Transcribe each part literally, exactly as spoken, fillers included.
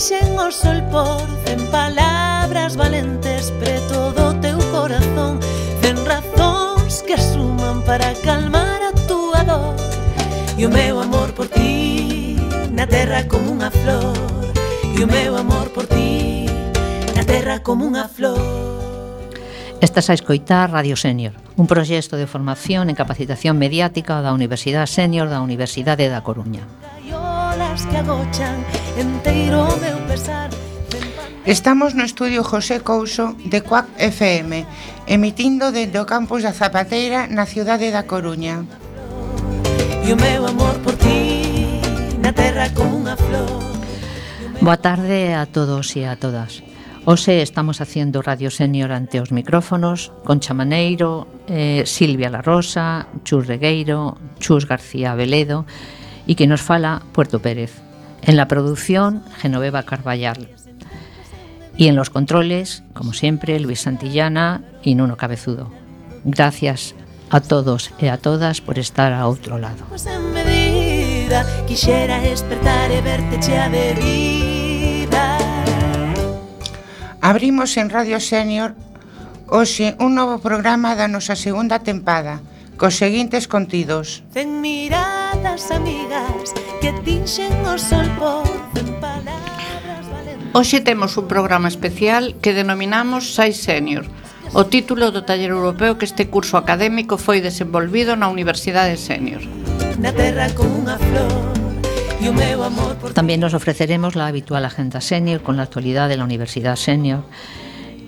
tinxen o sol por cen palabras valentes preto do teu corazón, cen razóns que suman para calmar a túa dor. E o meu amor por ti na terra como unha flor, e o meu amor por ti na terra como unha flor. Estás a escoitar Radio Sénior, un proxecto de formación en capacitación mediática da Universidade Sénior da Universidade da Coruña. Estamos no estudio José Couso de Cuac F M, emitindo dende o campus da Zapateira na cidade da Coruña. E o meu amor por ti na terra como unha flor. Boa tarde a todos e a todas. Hoxe estamos haciendo Radio Sénior ante os micrófonos Concha Maneiro, eh, Silvia La Rosa, Chus Regueiro, Chus García Veledo y que nos fala Puerto Pérez. En la producción, Genoveva Carballal. Y en los controles, como siempre, Luis Santillana y Nuno Cabezudo. Gracias a todos e a todas por estar a outro lado. Quixera despertar e verte chea de vida. Abrimos en Radio Sénior hoxe un novo programa da nosa segunda tempada, cos seguintes contidos. Cen miradas amigas que tinxen o sol por cen palabras valentes. Hoxe temos un programa especial que denominamos Sai Sénior, o título do taller europeo que este curso académico foi desenvolvido na Universidade Sénior. Na terra como unha flor. También nos ofreceremos la habitual agenda Sénior con la actualidad de la Universidad Sénior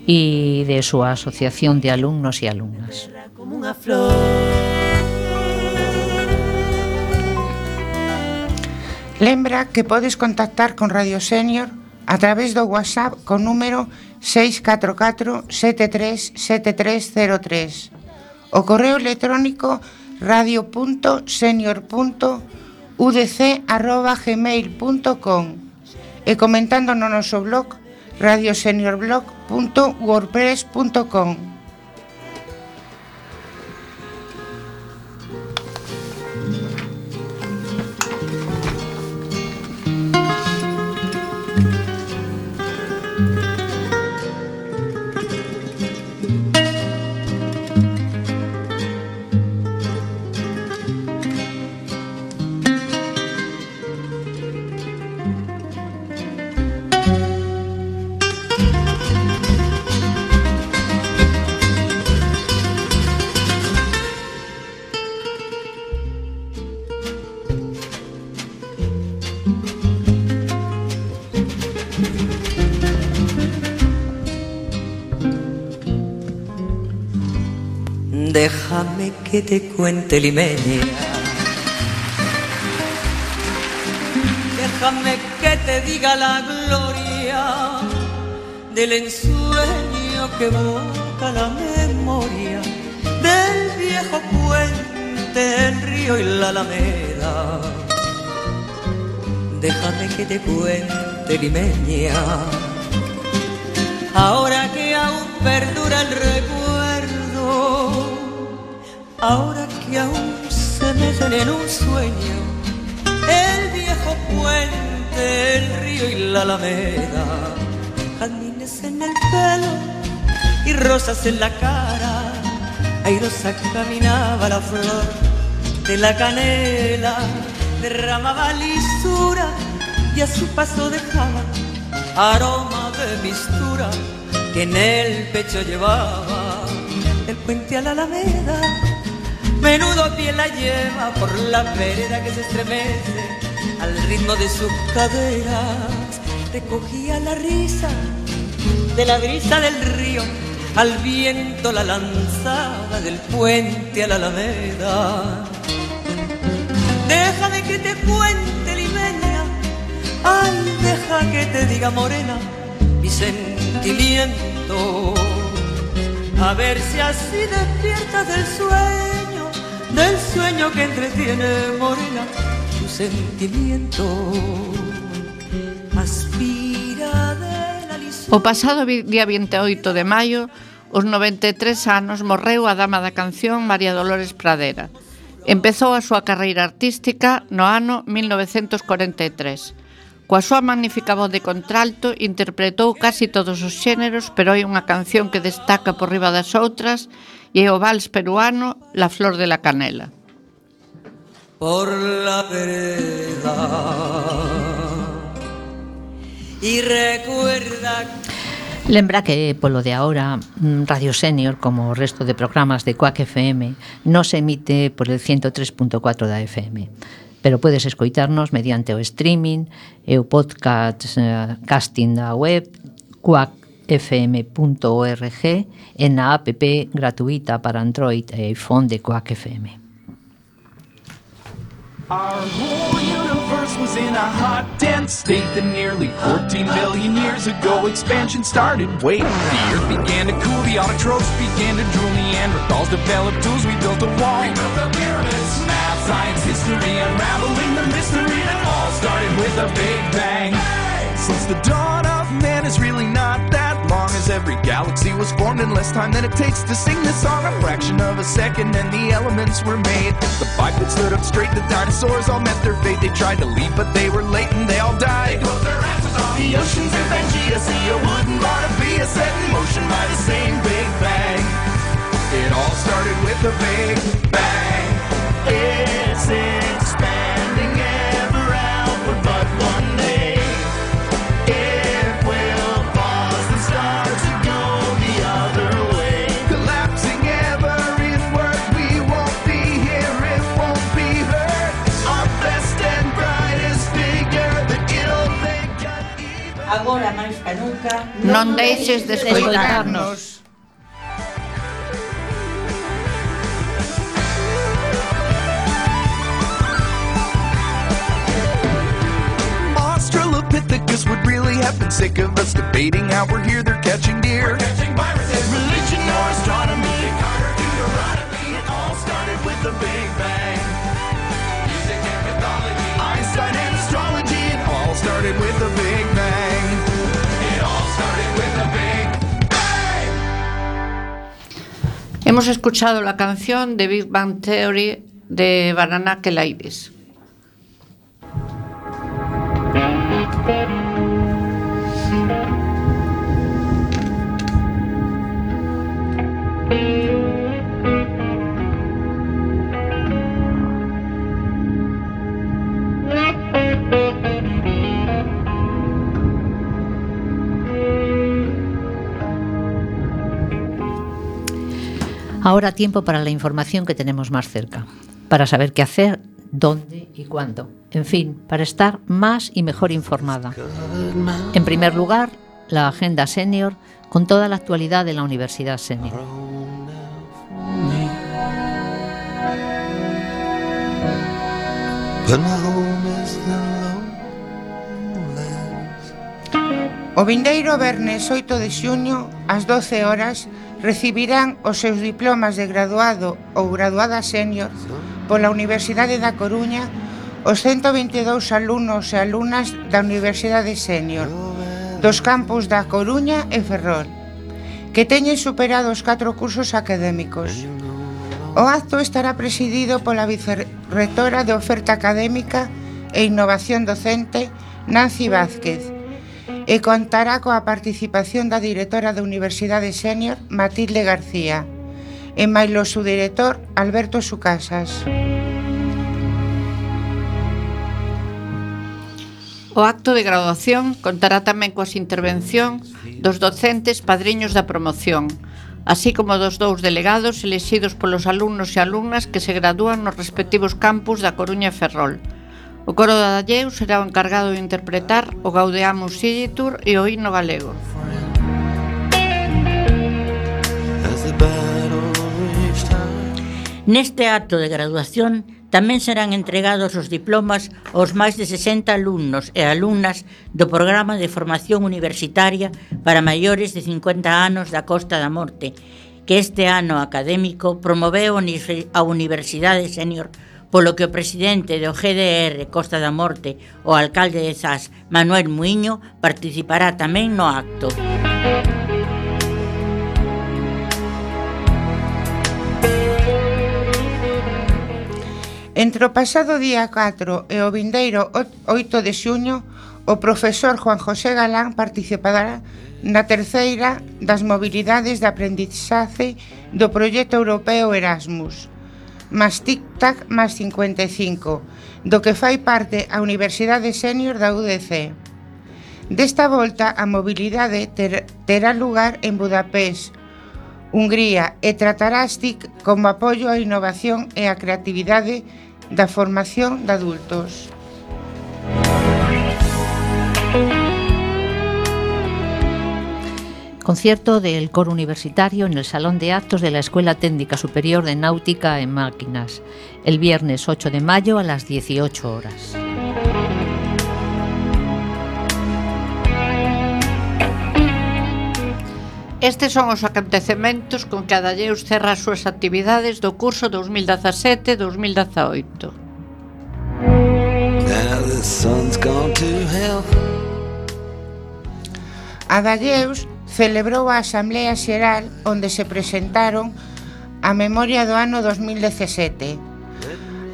y de su asociación de alumnos y alumnas. Lembra que podes contactar con Radio Sénior a través do WhatsApp con número seis catro catro sete tres sete tres cero tres, o correo electrónico radio punto senior punto u d c arroba gmail punto com e comentando no noso blog radio senior blog punto wordpress punto com. Déjame que te cuente, limeña. Déjame que te diga la gloria del ensueño que evoca la memoria del viejo puente, el río y la alameda. Déjame que te cuente, limeña, ahora que aún perdura el recuerdo, ahora que aún se meten en un sueño el viejo puente, el río y la alameda. Jazmines en el pelo y rosas en la cara, airosa caminaba la flor de la canela, derramaba lisura y a su paso dejaba aroma de mistura que en el pecho llevaba. El puente a la alameda, menudo pie la lleva por la vereda que se estremece al ritmo de sus caderas. Recogía la risa de la brisa del río, al viento la lanzaba del puente a la alameda. Déjame que te cuente, limeña, ay, deja que te diga, morena, mi sentimiento. A ver si así despiertas del sueño, del sueño que entretiene, morena, tu sentimiento. Aspira de la lisura. O pasado día veintiocho de maio, os noventa e tres anos, morreu a dama da canción María Dolores Pradera. Empezou a súa carreira artística no ano mil novecentos cuarenta e tres. Coa súa magnífica voz de contralto interpretou casi todos os xéneros, pero hai unha canción que destaca por riba das outras e é o vals peruano La Flor de la Canela. Por la vereda y recuerda. Lembra que polo de agora Radio Senior, como o resto de programas de Quack F M, non se emite por el ciento tres punto catro da F M, pero podes escoitarnos mediante o streaming e o podcast eh, casting da web quack f m punto org e na app gratuita para Android e iPhone de Quack F M. Our whole universe was in a hot, dense state that nearly fourteen billion years ago expansion started. Wait, the earth began to cool, the autotrophs began to drool, Neanderthals developed tools, we built a wall. We built the pyramids. Math, science, history, unraveling the mystery that all started with a big bang. Hey! Since the dawn of man is really not that long, as every galaxy was formed in less time than it takes to sing this song. A fraction of a second and the elements were made. The bipeds stood up straight, the dinosaurs all met their fate. They tried to leave but they were late and they all died. They closed their asses off the oceans and Pangea, see a wooden Barnabia set in motion by the same big bang. It all started with a big bang. It's expanding ever outward, but one day it will pause and start to go the other way. Collapsing ever inward, we won't be here, it won't be heard. Our best and brightest figure, that it'll make us even. Agora máis que nunca, Non deixes de escoitarnos. Australopithecus would really have been sick of us debating how we're here, they're catching deer. We're catching viruses. Religion or astronomy, Carter, Deuteronomy, it all started with the Big Bang. Music and mythology, Einstein and astrology, it all started with the Big Bang. It all started with the Big Bang. Hemos escuchado la canción de Big Bang Theory de Banana Kelairis. Ahora tiempo para la información que tenemos más cerca, para saber qué hacer, dónde y cuándo. En fin, para estar más y mejor informada. En primer lugar, la Agenda Senior con toda la actualidad de la Universidad Senior. O vindeiro vernes oito de xuño, ás doce horas, recibirán os seus diplomas de graduado ou graduada senior pola Universidade da Coruña os ciento vinte e dous alumnos e alumnas da Universidade Senior dos campus da Coruña e Ferrol que teñen superado os catro cursos académicos. O acto estará presidido pola vicerrectora de Oferta Académica e Innovación Docente, Nancy Vázquez, e contará coa participación da directora da Universidade Senior, Matilde García, e mailo su director, Alberto Sucasas. O acto de graduación contará tamén coas intervención dos docentes padriños da promoción, así como dos dous delegados elexidos polos alumnos e alumnas que se gradúan nos respectivos campus da Coruña e Ferrol. O coro da Dalleu será o encargado de interpretar o Gaudeamus Igitur e o himno galego. Neste acto de graduación tamén serán entregados os diplomas aos máis de sesenta alumnos e alumnas do programa de formación universitaria para maiores de cincuenta anos da Costa da Morte, que este ano académico promoveu a Universidade Senior, polo que o presidente do G D R Costa da Morte, o alcalde de Zas, Manuel Muiño, participará tamén no acto. Entre o pasado día catro e o vindeiro oito de xuño, o profesor Juan José Galán participará na terceira das mobilidades de aprendizaje do proxecto europeo Erasmus, máis Tic-Tac máis cincuenta e cinco, do que fai parte a Universidade Sénior da U D C. Desta volta, a mobilidade ter, terá lugar en Budapest, Hungría, e tratará as T I C como apoio á innovación e á creatividade da formación de adultos. Concierto del coro universitario en el Salón de Actos de la Escuela Técnica Superior de Náutica en Máquinas, el viernes ocho de mayo a las dieciocho horas. Estes son os acontecementos con que a Dalleus cerra as súas actividades do curso dos mil dezasete dos mil dezaoito. A Dalleus celebrou a Asamblea Xeral onde se presentaron a memoria do ano dos mil dezasete,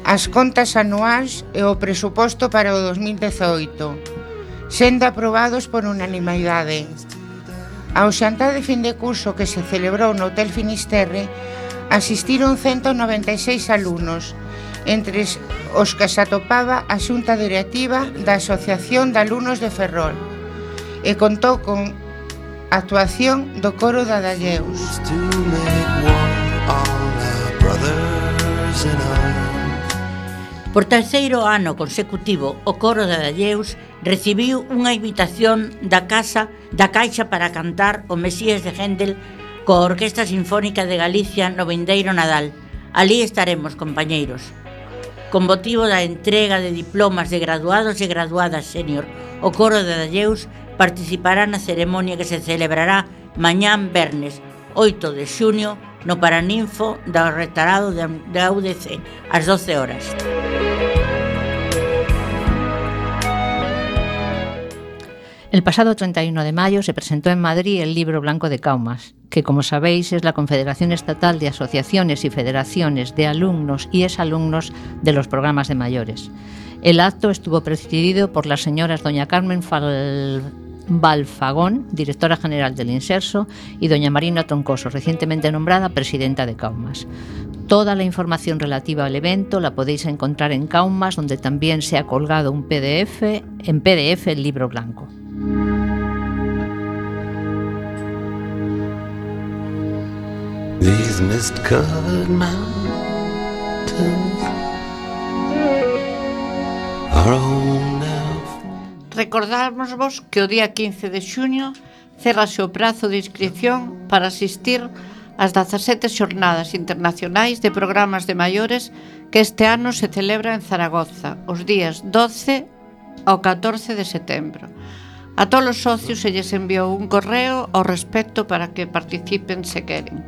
as contas anuais e o presuposto para o dos mil dezaoito, sendo aprobados por unanimidade. Ao xantar de fin de curso que se celebrou no Hotel Finisterre asistiron ciento noventa e seis alumnos, entre os que se atopaba a xunta directiva da Asociación de Alumnos de Ferrol, e contou con actuación do coro da Dalleus. Por terceiro ano consecutivo, o coro da Dalleus recibiu unha invitación da Casa da Caixa para cantar o Mesías de Händel coa Orquesta Sinfónica de Galicia no vindeiro Nadal. Alí estaremos, compañeiros. Con motivo da entrega de diplomas de graduados e graduadas sénior, o coro da Dalleus participará na ceremonia que se celebrará mañán vernes oito de xuño no Paraninfo do Rectorado da U D C ás doce horas. El pasado treinta y uno de mayo se presentó en Madrid el Libro Blanco de Kaumas, que, como sabéis, es la Confederación Estatal de Asociaciones y Federaciones de Alumnos y Exalumnos de los Programas de Mayores. El acto estuvo presidido por las señoras doña Carmen Fal... Balfagón, directora general del Inserso, y doña Marina Troncoso, recientemente nombrada presidenta de Kaumas. Toda la información relativa al evento la podéis encontrar en Kaumas, donde también se ha colgado un P D F, en P D F el libro blanco. These mist-covered mountains are home now. Recordámosvos que o día quince de xuño cerrase o prazo de inscripción para asistir ás dezasete xornadas internacionais de programas de maiores que este ano se celebra en Zaragoza, os días doce ao catorce de setembro. A todos os socios se lles enviou un correo ao respecto para que participen se queren.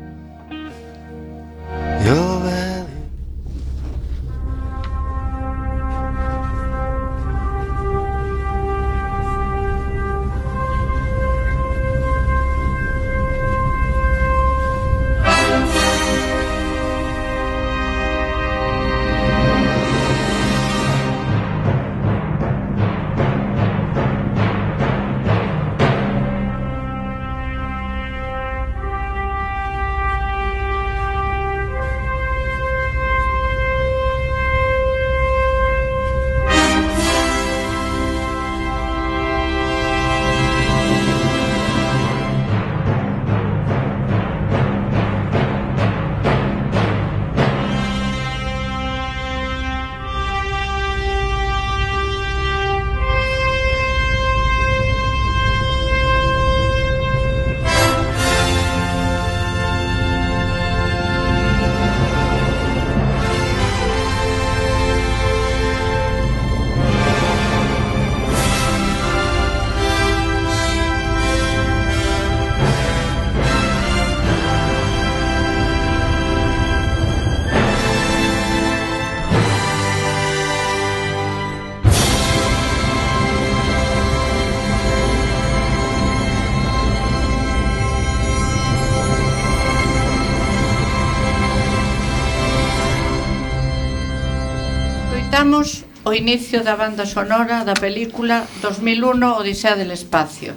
Escoitamos o inicio da banda sonora da película dos mil uno Odisea del Espacio.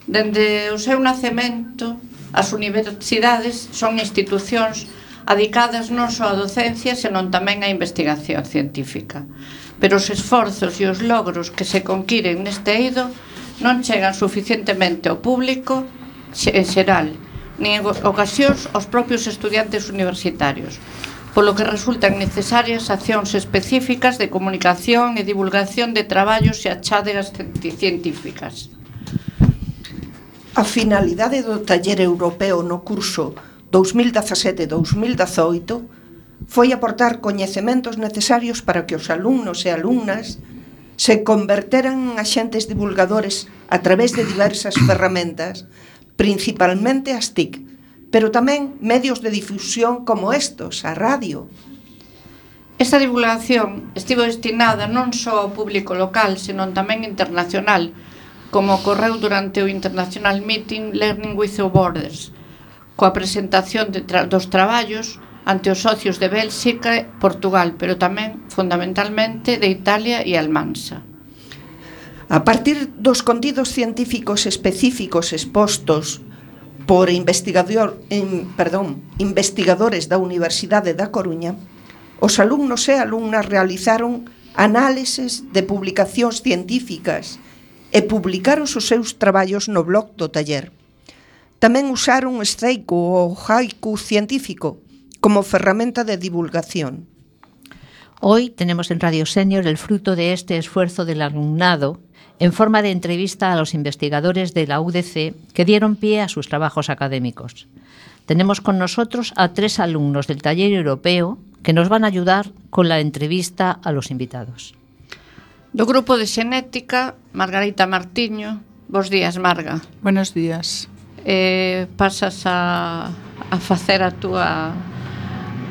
Dende o seu nacemento, as universidades son institucións adicadas non só á docencia, senón tamén á investigación científica. Pero os esforzos e os logros que se conquiren neste eido non chegan suficientemente ao público en xeral, nin en ocasións aos propios estudiantes universitarios, polo que resultan necesarias accións específicas de comunicación e divulgación de traballos e achadegas científicas. A finalidade do taller europeo no curso dous mil dezasete dous mil dezoito foi aportar coñecementos necesarios para que os alumnos e alumnas se converteran en axentes divulgadores a través de diversas ferramentas, principalmente as T I C, pero tamén medios de difusión como estos, a radio. Esta divulgación estivo destinada non só ao público local, senón tamén internacional, como ocorreu durante o International Meeting Learning Without Borders, coa presentación de tra- dos traballos ante os socios de Bélxica e Portugal, pero tamén, fundamentalmente, de Italia e Almansa. A partir dos contidos científicos específicos expostos por investigador, en, perdón, investigadores da Universidade da Coruña, os alumnos e alumnas realizaron análises de publicacións científicas e publicaron os seus traballos no blog do taller. Tamén usaron o estreico ou haiku científico como ferramenta de divulgación. Hoy tenemos en Radio Senior el fruto de este esfuerzo del alumnado en forma de entrevista a los investigadores de la U D C que dieron pie a sus trabajos académicos. Tenemos con nosotros a tres alumnos del taller europeo que nos van a ayudar con la entrevista a los invitados. Do grupo de xenética, Margarita Martiño. Bos días, Marga. Buenos días. Eh, pasas a, a facer a túa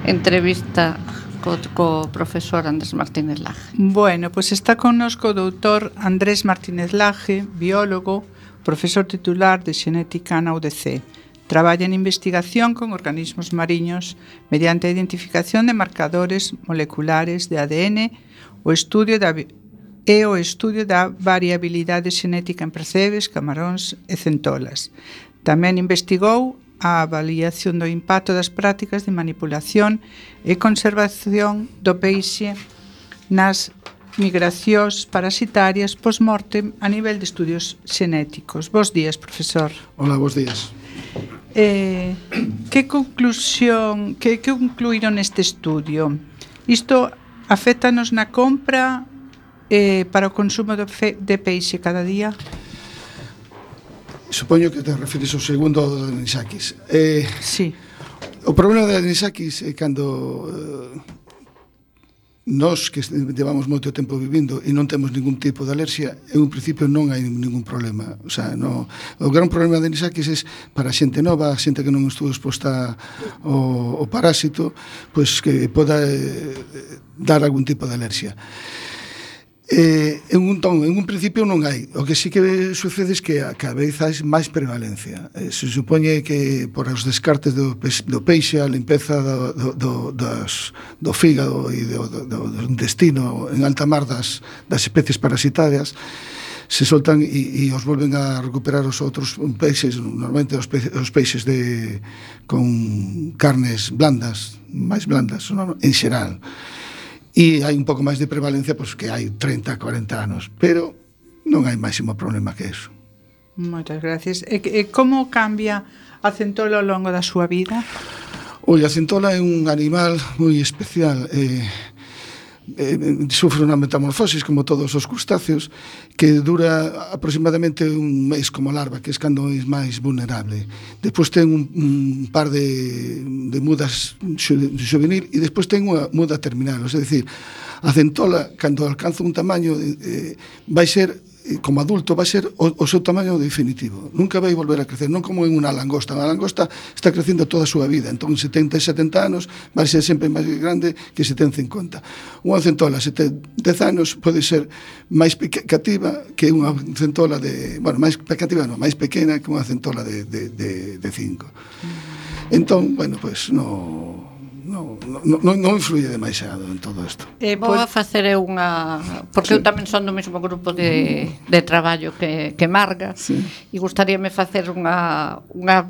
entrevista co, co profesor Andrés Martínez Laje. Bueno, pues está connosco o doutor Andrés Martínez Laje, biólogo, profesor titular de xenética na U D C. Traballa en investigación con organismos mariños mediante a identificación de marcadores moleculares de A D N, o estudio da e o estudio da variabilidade xenética en percebes, camaróns e centolas. Tamén investigou a avaliación do impacto das prácticas de manipulación e conservación do peixe nas migracións parasitarias post-mortem a nivel de estudios xenéticos. Bos días, profesor. Hola, bos días. Eh, que conclusión, que, que concluíron neste estudio? Isto afétanos na compra eh, para o consumo de, fe, de peixe cada día? Supoño que te refires ao segundo do anisakis. Eh, sí. O problema do anisakis é cando eh, nós que levamos moito tempo vivindo e non temos ningún tipo de alerxia, en un principio non hai ningún problema. O sea, no, o gran problema de anisakis é para a xente nova, a xente que non estuvo exposta ao, ao parásito, pois que poda eh, dar algún tipo de alerxia. Eh, en, un ton, en un principio non hai. O que sí que sucede é que a cada vez hai máis prevalencia. Eh, se supone que por os descartes do, do peixe, a limpeza do, do, do, das, do fígado e do, do, do intestino en alta mar das, das especies parasitarias, se soltan e, e os volven a recuperar os outros peixes, normalmente os, pe, os peixes de, con carnes blandas, máis blandas, en xeral. E hai un pouco máis de prevalencia, pois que hai treinta, cuarenta anos, pero non hai máximo problema que eso. Moitas gracias. E, e como cambia a centola ao longo da súa vida? Oi, a centola é un animal moi especial, eh, eh, sufre unha metamorfosis como todos os crustáceos que dura aproximadamente un mes como larva, que é cando é máis vulnerable. Despois ten un, un par de, de mudas juvenil e despois ten unha muda terminal, é dicir, a centola cando alcanza un tamaño eh, vai ser como adulto vai ser o, o seu tamaño definitivo, nunca vai volver a crecer, non como en unha langosta. A langosta está crecendo toda a súa vida, entón setenta e setenta anos vai ser sempre máis grande que se ten cincuenta. Unha centola se ten dez anos pode ser máis cativa que unha centola de, bueno, máis cativa non, máis pequena que unha centola de, de, de, de cinco. Entón, bueno, pois pues, no non, non, non, non influye demasiado en todo isto. Eh, Vou a facer eu unha... Porque sí. eu tamén son do mesmo grupo de, de traballo que, que Marga, sí. E gustaríame facer unha, unha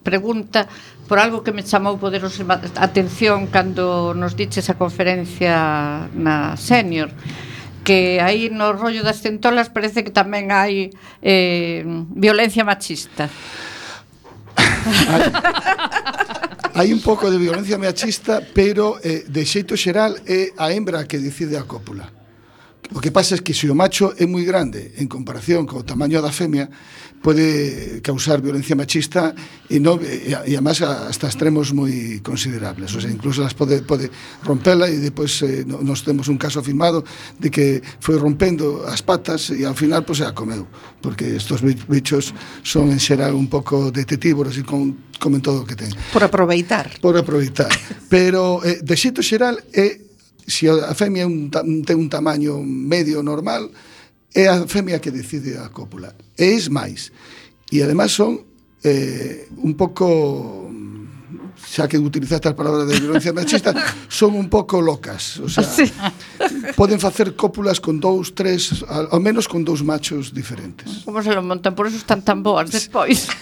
pregunta por algo que me chamou poderosa atención cando nos diches a conferencia na Senior, que aí no rollo das centolas parece que tamén hai eh, violencia machista. Hai, hai un pouco de violencia machista, pero eh, de xeito xeral é a hembra que decide a cópula. O que pasa é que se o macho é moi grande en comparación co tamaño da femia, pode causar violencia machista e, no, e, e además hasta extremos moi considerables. O sea, incluso las pode, pode rompela e depois eh, nos temos un caso afirmado de que foi rompendo as patas e ao final pues, se a comeu, porque estos bichos son en xeral un pouco detectívoros e con, comen todo o que ten. Por aproveitar. Por aproveitar. Pero eh, de xeito xeral é, se a femia un, ten un tamaño medio normal, é a femia que decide a cópula. E es máis. E además son eh, un pouco, xa que utilizaste as palabras de violencia machista, son un pouco locas. O sea, sí. Poden facer cópulas con dous, tres, ao menos con dous machos diferentes. Como se lo montan? Por eso están tan boas despois.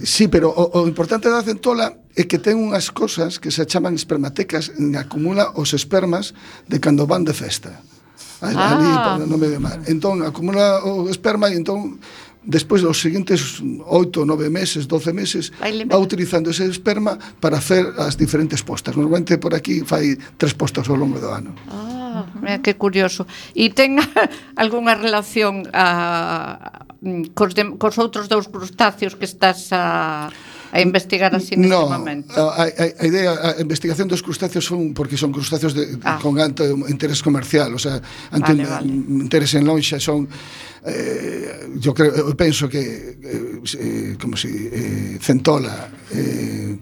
Sí, pero o, o importante da centola é que ten unhas cosas que se chaman espermatecas, en acumula os espermas de cando van de festa. Ali, ah. no medio mar. Entón, acumula o esperma e entón, despois dos seguintes oito, nove meses, doce meses, va utilizando ese esperma para hacer as diferentes postas. Normalmente por aquí fai tres postas ao longo do ano. Ah, mira, que curioso. E ten algunha relación a, cos, de, cos outros dous crustáceos que estás a... a investigar así neste no, momento? A, a, a idea, a investigación dos crustáceos son porque son crustáceos de, ah. con alto interés comercial, o sea, ante vale, vale. interés en lonxa son eh, yo creo, eu penso que eh, como si eh, centola eh,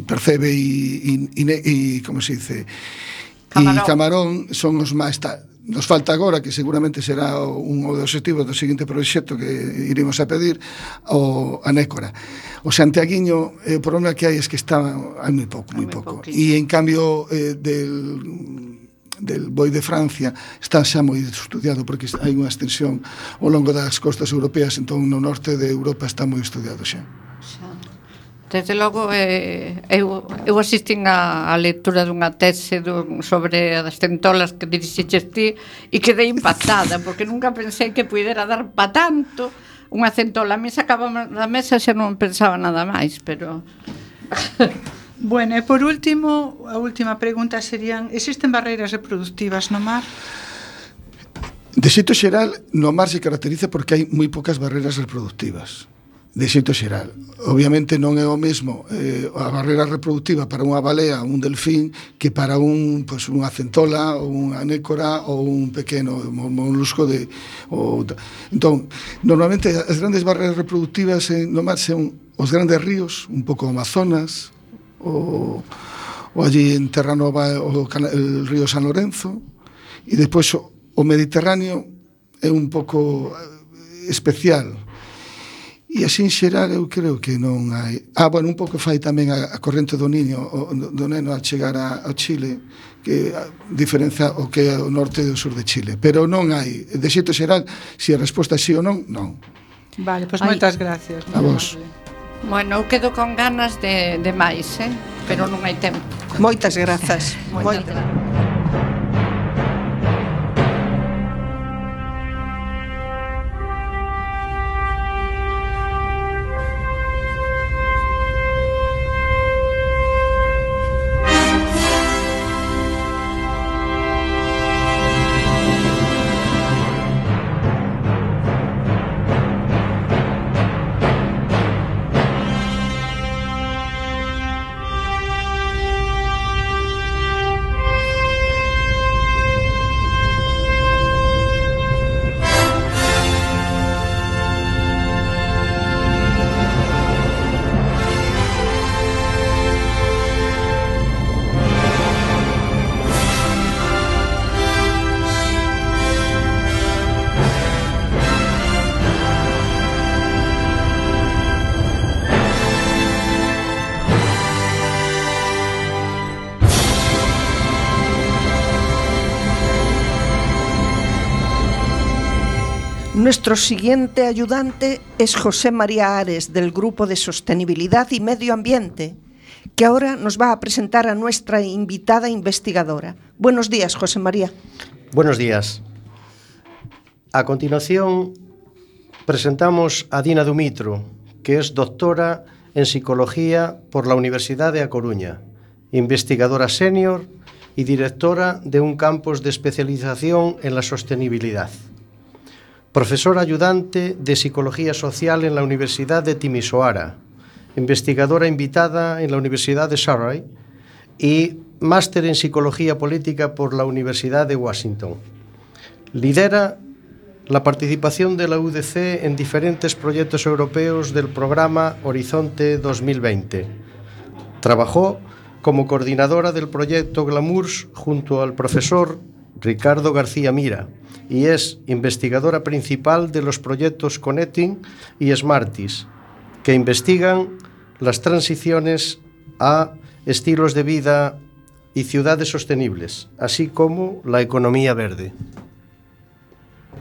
percebe e, e, e como se dice camarón. E camarón son os máis tal. Nos falta agora, que seguramente será un dos objetivos do seguinte proxecto que iremos a pedir, o a nécora. O santiaguiño, eh, o problema que hai é que está hai moi pouco, moi pouco. E en cambio eh, del del boi de Francia está xa moi estudiado porque hai unha extensión ao longo das costas europeas, entón no norte de Europa está moi estudiado xa. Desde logo, eh, eu, eu asistín a, a lectura dunha tese dun, sobre as centolas que dirixiches ti e quedei impactada, porque nunca pensei que pudera dar pa tanto unha centola. A mí sacaba da mesa xa non pensaba nada máis, pero... Bueno, e por último, a última pregunta serían: existen barreiras reproductivas no mar? De xeito xeral, no mar se caracteriza porque hai moi poucas barreiras reproductivas. De xeito xeral. Obviamente non é o mesmo eh, a barreira reproductiva para unha balea, un delfín, que para un, pues, unha centola ou unha nécora ou un pequeno molusco de... O, entón, normalmente as grandes barreiras reproductivas en, no mar son os grandes ríos, un pouco Amazonas, o, o allí en Terranova o, el río San Lorenzo, e despois o, o Mediterráneo é un pouco especial. E así en xeral eu creo que non hai... Ah, bueno, un pouco fai tamén a, a corrente do niño, o, do neno al chegar a, ao Chile, que a, diferenza o que é o norte e o sur de Chile. Pero non hai, de xeito xeral, se a resposta é sí ou non, non. Vale, pois pues moitas gracias. A vos. Bueno, eu quedo con ganas de, de máis, eh? Pero non hai tempo. Moitas grazas. Moitas grazas. Nuestro siguiente ayudante es José María Ares, del Grupo de Sostenibilidad y Medio Ambiente, que ahora nos va a presentar a nuestra invitada investigadora. Buenos días, José María. Buenos días. A continuación, presentamos a Dina Dumitro, que es doctora en Psicología por la Universidad de A Coruña, investigadora senior y directora de un campus de especialización en la sostenibilidad. Profesora ayudante de Psicología Social en la Universidad de Timisoara, investigadora invitada en la Universidad de Surrey y máster en Psicología Política por la Universidad de Washington. Lidera la participación de la U D C en diferentes proyectos europeos del programa Horizonte dos mil veinte. Trabajó como coordinadora del proyecto Glamours junto al profesor Ricardo García Mira y es investigadora principal de los proyectos Connecting y Smarties, que investigan las transiciones a estilos de vida y ciudades sostenibles, así como la economía verde.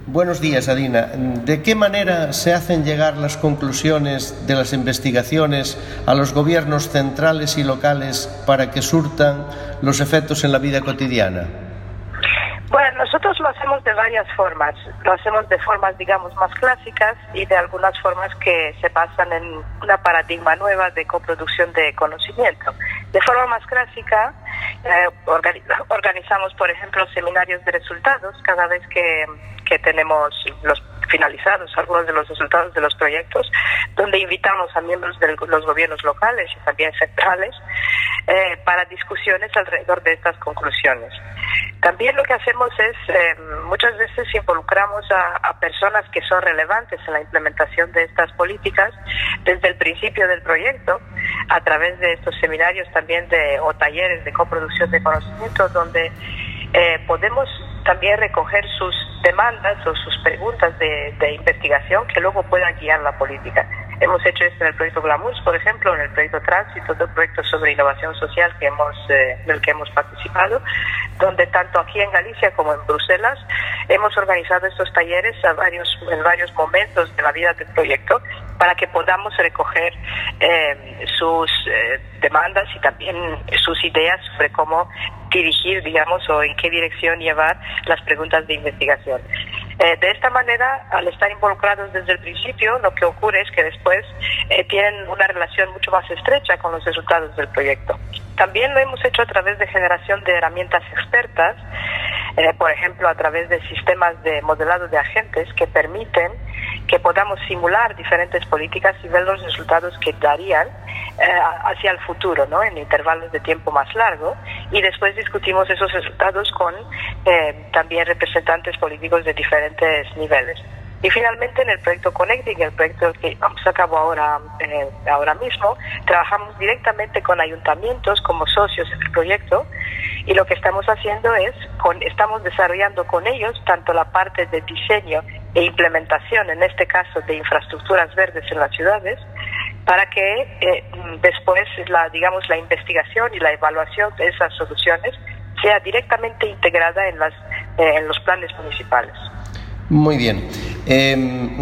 Buenos días, Adina. ¿De qué manera se hacen llegar las conclusiones de las investigaciones a los gobiernos centrales y locales para que surtan los efectos en la vida cotidiana? Bueno, nosotros lo hacemos de varias formas. Lo hacemos de formas, digamos, más clásicas y de algunas formas que se basan en una paradigma nueva de coproducción de conocimiento. De forma más clásica, eh, organiz- organizamos, por ejemplo, seminarios de resultados cada vez que, que tenemos los finalizados algunos de los resultados de los proyectos, donde invitamos a miembros de los gobiernos locales y también centrales eh, para discusiones alrededor de estas conclusiones. También lo que hacemos es, eh, muchas veces involucramos a, a personas que son relevantes en la implementación de estas políticas desde el principio del proyecto, a través de estos seminarios también de, o talleres de coproducción de conocimiento, donde eh, podemos también recoger sus demandas o sus preguntas de, de investigación que luego puedan guiar la política. Hemos hecho esto en el proyecto Glamours, por ejemplo, en el proyecto Tránsito, otro proyecto sobre innovación social que hemos, eh, del que hemos participado, donde tanto aquí en Galicia como en Bruselas hemos organizado estos talleres a varios, en varios momentos de la vida del proyecto para que podamos recoger eh, sus eh, demandas y también sus ideas sobre cómo dirigir, digamos, o en qué dirección llevar las preguntas de investigación. Eh, de esta manera, al estar involucrados desde el principio, lo que ocurre es que después eh, tienen una relación mucho más estrecha con los resultados del proyecto. También lo hemos hecho a través de generación de herramientas expertas, eh, por ejemplo, a través de sistemas de modelado de agentes que permiten que podamos simular diferentes políticas y ver los resultados que darían eh, hacia el futuro, ¿no?, en intervalos de tiempo más largo, y después discutimos esos resultados con eh, también representantes políticos de diferentes niveles. Y finalmente en el proyecto Connecting, el proyecto que vamos a cabo ahora, eh, ahora mismo, trabajamos directamente con ayuntamientos como socios en el proyecto, y lo que estamos haciendo es, con, estamos desarrollando con ellos tanto la parte de diseño e implementación, en este caso de infraestructuras verdes en las ciudades, para que eh, después la, digamos, la investigación y la evaluación de esas soluciones sea directamente integrada en, las, eh, en los planes municipales. Muy bien. Eh,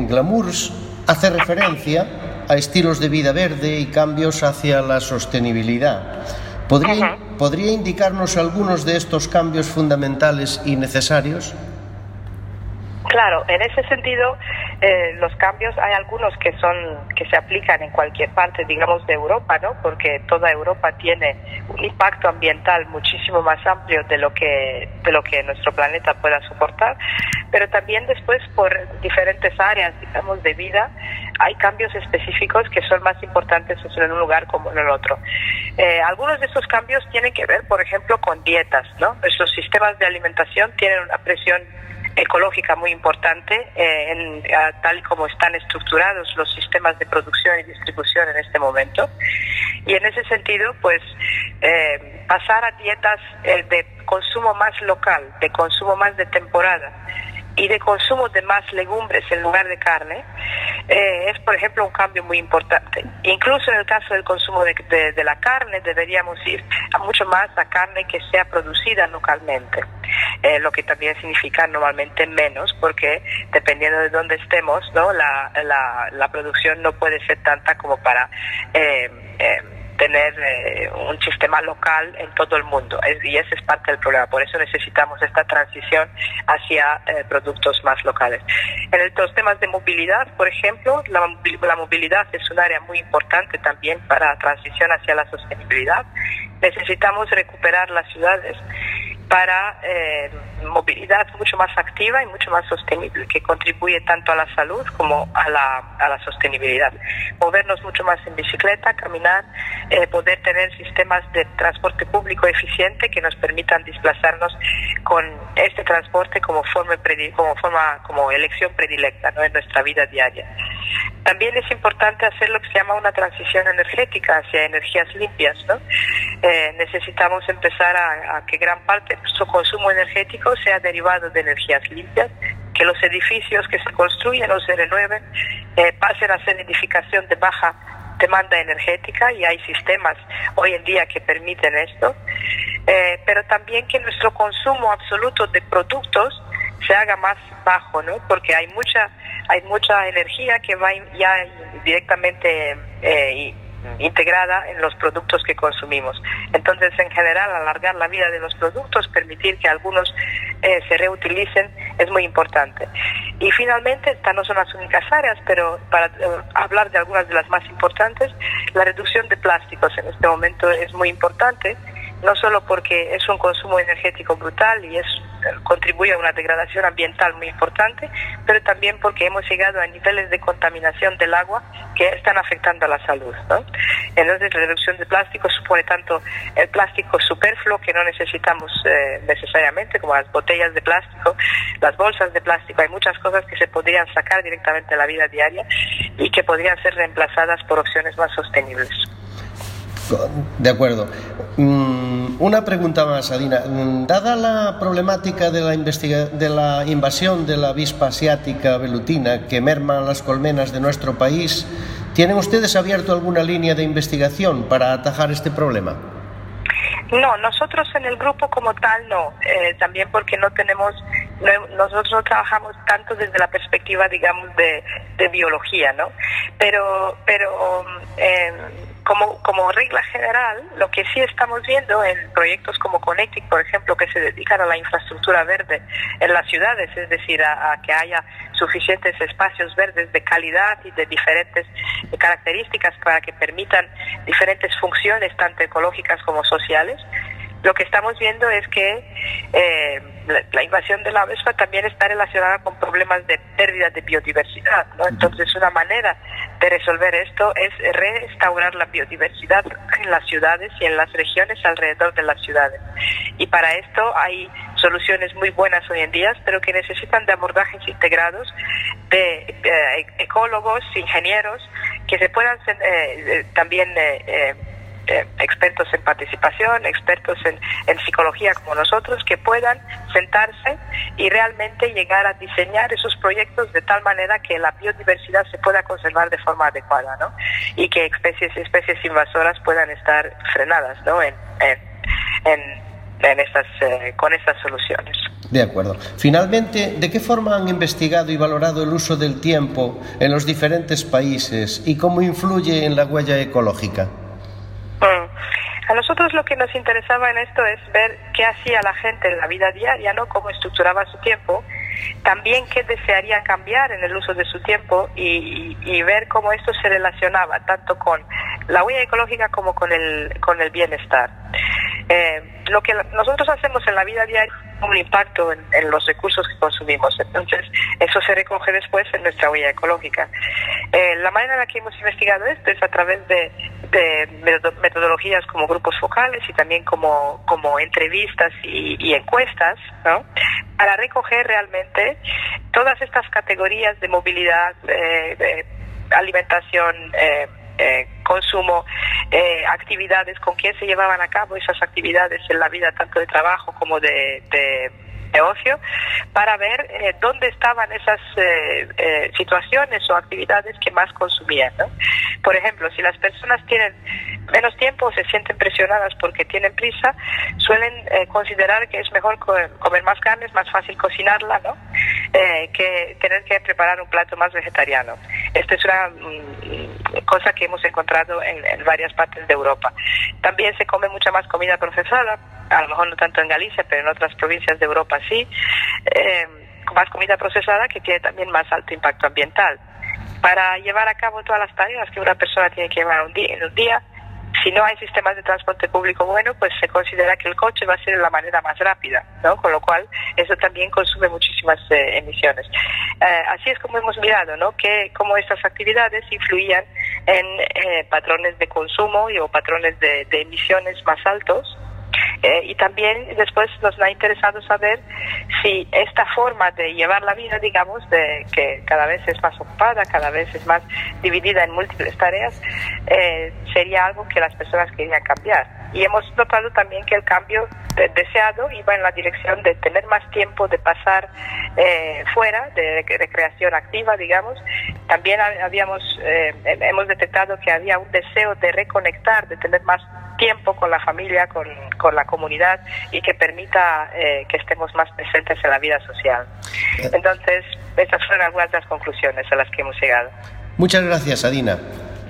Glamours hace referencia a estilos de vida verde y cambios hacia la sostenibilidad. ¿Podría, uh-huh. ¿Podría indicarnos algunos de estos cambios fundamentales y necesarios? Claro, en ese sentido, eh, los cambios hay algunos que son que se aplican en cualquier parte, digamos, de Europa, ¿no? Porque toda Europa tiene un impacto ambiental muchísimo más amplio de lo que de lo que nuestro planeta pueda soportar, pero también después por diferentes áreas, digamos, de vida, hay cambios específicos que son más importantes en un lugar como en el otro. Eh, algunos de estos cambios tienen que ver, por ejemplo, con dietas, ¿no? Nuestros sistemas de alimentación tienen una presión ecológica muy importante, eh, en, a, tal y como están estructurados los sistemas de producción y distribución en este momento. Y en ese sentido, pues, eh, pasar a dietas eh, de consumo más local, de consumo más de temporada, y de consumo de más legumbres en lugar de carne, eh, es por ejemplo un cambio muy importante. Incluso en el caso del consumo de, de, de la carne deberíamos ir a mucho más a carne que sea producida localmente, eh, lo que también significa normalmente menos, porque dependiendo de dónde estemos, ¿no? la, la, la producción no puede ser tanta como para eh, eh, tener eh, un sistema local en todo el mundo, es, y ese es parte del problema. Por eso necesitamos esta transición hacia eh, productos más locales. En el, los temas de movilidad, por ejemplo, la, la movilidad es un área muy importante también para la transición hacia la sostenibilidad. Necesitamos recuperar las ciudades para eh, movilidad mucho más activa y mucho más sostenible, que contribuye tanto a la salud como a la, a la sostenibilidad. Movernos mucho más en bicicleta, caminar, eh, poder tener sistemas de transporte público eficiente que nos permitan desplazarnos con este transporte como forma, como, forma, como elección predilecta, ¿no? En nuestra vida diaria. También es importante hacer lo que se llama una transición energética hacia energías limpias, ¿no? Eh, necesitamos empezar a, a que gran parte de nuestro consumo energético sea derivado de energías limpias, que los edificios que se construyen o se renueven eh, pasen a ser edificación de baja demanda energética, y hay sistemas hoy en día que permiten esto, eh, pero también que nuestro consumo absoluto de productos se haga más bajo, ¿no? Porque hay mucha hay mucha energía que va ya directamente eh, integrada en los productos que consumimos. Entonces, en general, alargar la vida de los productos, permitir que algunos eh, se reutilicen, es muy importante. Y finalmente, estas no son las únicas áreas, pero para eh, hablar de algunas de las más importantes, la reducción de plásticos en este momento es muy importante, no solo porque es un consumo energético brutal y es contribuye a una degradación ambiental muy importante, pero también porque hemos llegado a niveles de contaminación del agua que están afectando a la salud, ¿no? Entonces, la reducción de plástico supone tanto el plástico superfluo que no necesitamos eh, necesariamente, como las botellas de plástico, las bolsas de plástico. Hay muchas cosas que se podrían sacar directamente de la vida diaria y que podrían ser reemplazadas por opciones más sostenibles. De acuerdo. Mm, una pregunta más, Adina. Dada la problemática de la, investiga- de la invasión de la avispa asiática velutina que merma las colmenas de nuestro país, ¿tienen ustedes abierto alguna línea de investigación para atajar este problema? No, nosotros en el grupo como tal no, eh, también porque no tenemos, no, nosotros no trabajamos tanto desde la perspectiva, digamos, de, de biología, ¿no? Pero, pero eh, como, como regla general, lo que sí estamos viendo en proyectos como Connectic, por ejemplo, que se dedican a la infraestructura verde en las ciudades, es decir, a, a que haya suficientes espacios verdes de calidad y de diferentes características para que permitan diferentes funciones, tanto ecológicas como sociales. Lo que estamos viendo es que eh, la, la invasión de la avispa también está relacionada con problemas de pérdida de biodiversidad, ¿no? Entonces, una manera de resolver esto es restaurar la biodiversidad en las ciudades y en las regiones alrededor de las ciudades. Y para esto hay soluciones muy buenas hoy en día, pero que necesitan de abordajes integrados de eh, ecólogos, ingenieros, que se puedan eh, eh, también... Eh, eh, Eh, expertos en participación, expertos en, en psicología como nosotros, que puedan sentarse y realmente llegar a diseñar esos proyectos de tal manera que la biodiversidad se pueda conservar de forma adecuada, ¿no? Y que especies especies invasoras puedan estar frenadas, ¿no? en, en, en, en estas, eh, con estas soluciones. De acuerdo. Finalmente, ¿de qué forma han investigado y valorado el uso del tiempo en los diferentes países y cómo influye en la huella ecológica? A nosotros lo que nos interesaba en esto es ver qué hacía la gente en la vida diaria, ¿no? Cómo estructuraba su tiempo, también qué desearía cambiar en el uso de su tiempo y, y, y ver cómo esto se relacionaba tanto con la huella ecológica como con el, con el bienestar. Eh, lo que nosotros hacemos en la vida diaria tiene un impacto en, en los recursos que consumimos, entonces eso se recoge después en nuestra huella ecológica. Eh, la manera en la que hemos investigado esto es a través de, de metodologías como grupos focales y también como, como entrevistas y, y encuestas, ¿no? Para recoger realmente todas estas categorías de movilidad, eh, de alimentación, eh, Eh, consumo, eh, actividades, con quién se llevaban a cabo esas actividades en la vida tanto de trabajo como de, de, de ocio, para ver eh, dónde estaban esas eh, eh, situaciones o actividades que más consumían, ¿no? Por ejemplo, si las personas tienen menos tiempo o se sienten presionadas porque tienen prisa, suelen eh, considerar que es mejor co comer más carne, es más fácil cocinarla, ¿no? Eh, que tener que preparar un plato más vegetariano. Esta es una mm, cosa que hemos encontrado en, en varias partes de Europa. También se come mucha más comida procesada, a lo mejor no tanto en Galicia, pero en otras provincias de Europa sí, eh, más comida procesada que tiene también más alto impacto ambiental. Para llevar a cabo todas las tareas que una persona tiene que llevar un día, en un día, si no hay sistemas de transporte público bueno, pues se considera que el coche va a ser la manera más rápida, ¿no? Con lo cual eso también consume muchísimas eh, emisiones. Eh, así es como hemos mirado, ¿no? Que cómo estas actividades influían en eh, patrones de consumo y, o patrones de, de emisiones más altos. Eh, y también después nos ha interesado saber si esta forma de llevar la vida, digamos, de que cada vez es más ocupada, cada vez es más dividida en múltiples tareas, eh, sería algo que las personas querían cambiar. Y hemos notado también que el cambio de deseado iba en la dirección de tener más tiempo de pasar eh, fuera, de recreación activa, digamos. También habíamos eh, hemos detectado que había un deseo de reconectar, de tener más tiempo con la familia, con, con la comunidad y que permita eh, que estemos más presentes en la vida social. Entonces, estas fueron algunas de las conclusiones a las que hemos llegado. Muchas gracias, Adina.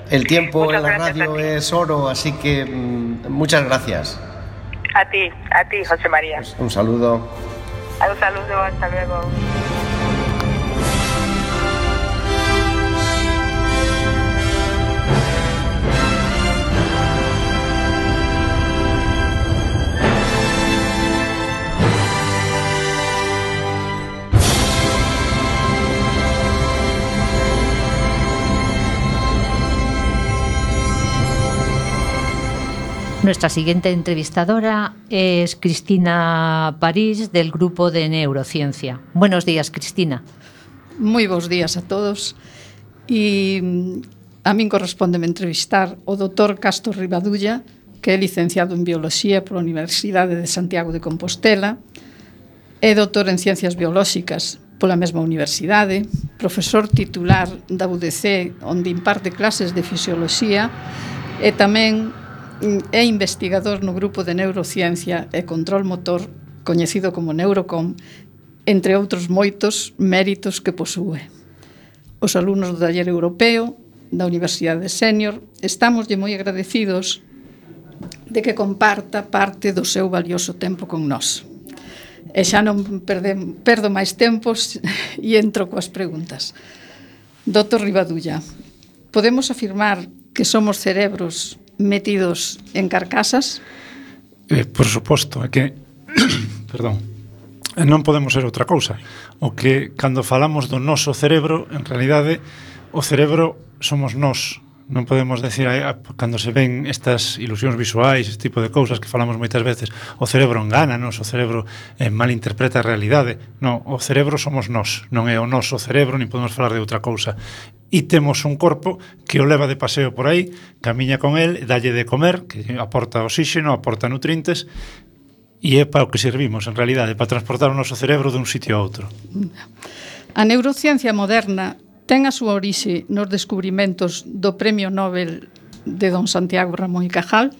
El tiempo Muchas en la gracias radio es oro, así que mmm, muchas gracias. A ti, a ti, José María. Un saludo. Un saludo, hasta luego. Nuestra siguiente entrevistadora es Cristina París, del Grupo de Neurociencia. Buenos días, Cristina. Moi bons días a todos. E a min correspondeme entrevistar o doutor Castro Rivadulla, que é licenciado en Bioloxía pola Universidade de Santiago de Compostela, é doutor en Ciencias Biolóxicas pola mesma universidade, profesor titular da U D C, onde imparte clases de Fisioloxía, e tamén é investigador no Grupo de Neurociencia e Control Motor, coñecido como Neurocom, entre outros moitos méritos que posúe. Os alumnos do taller europeo da Universidade Sénior estámoslle moi agradecidos de que comparta parte do seu valioso tempo con nós. E xa non perdem, perdo máis tempos e entro coas preguntas. doutor Rivadulla, podemos afirmar que somos cerebros metidos en carcasas? Eh, por suposto, é que perdón, non podemos ser outra cousa. O que cando falamos do noso cerebro, en realidade o cerebro somos nós. Non podemos decir, cando se ven estas ilusións visuais, este tipo de cousas que falamos moitas veces, o cerebro engánanos, o cerebro eh, malinterpreta a realidade. Non, o cerebro somos nós, non é o noso cerebro, nin podemos falar de outra cousa. E temos un corpo que o leva de paseo por aí, camiña con el, dalle de comer, que aporta oxígeno, aporta nutrientes, e é para o que servimos, en realidade, para transportar o noso cerebro dun sitio a outro. A neurociencia moderna ten a súa orixe nos descubrimentos do Premio Nobel de don Santiago Ramón y Cajal?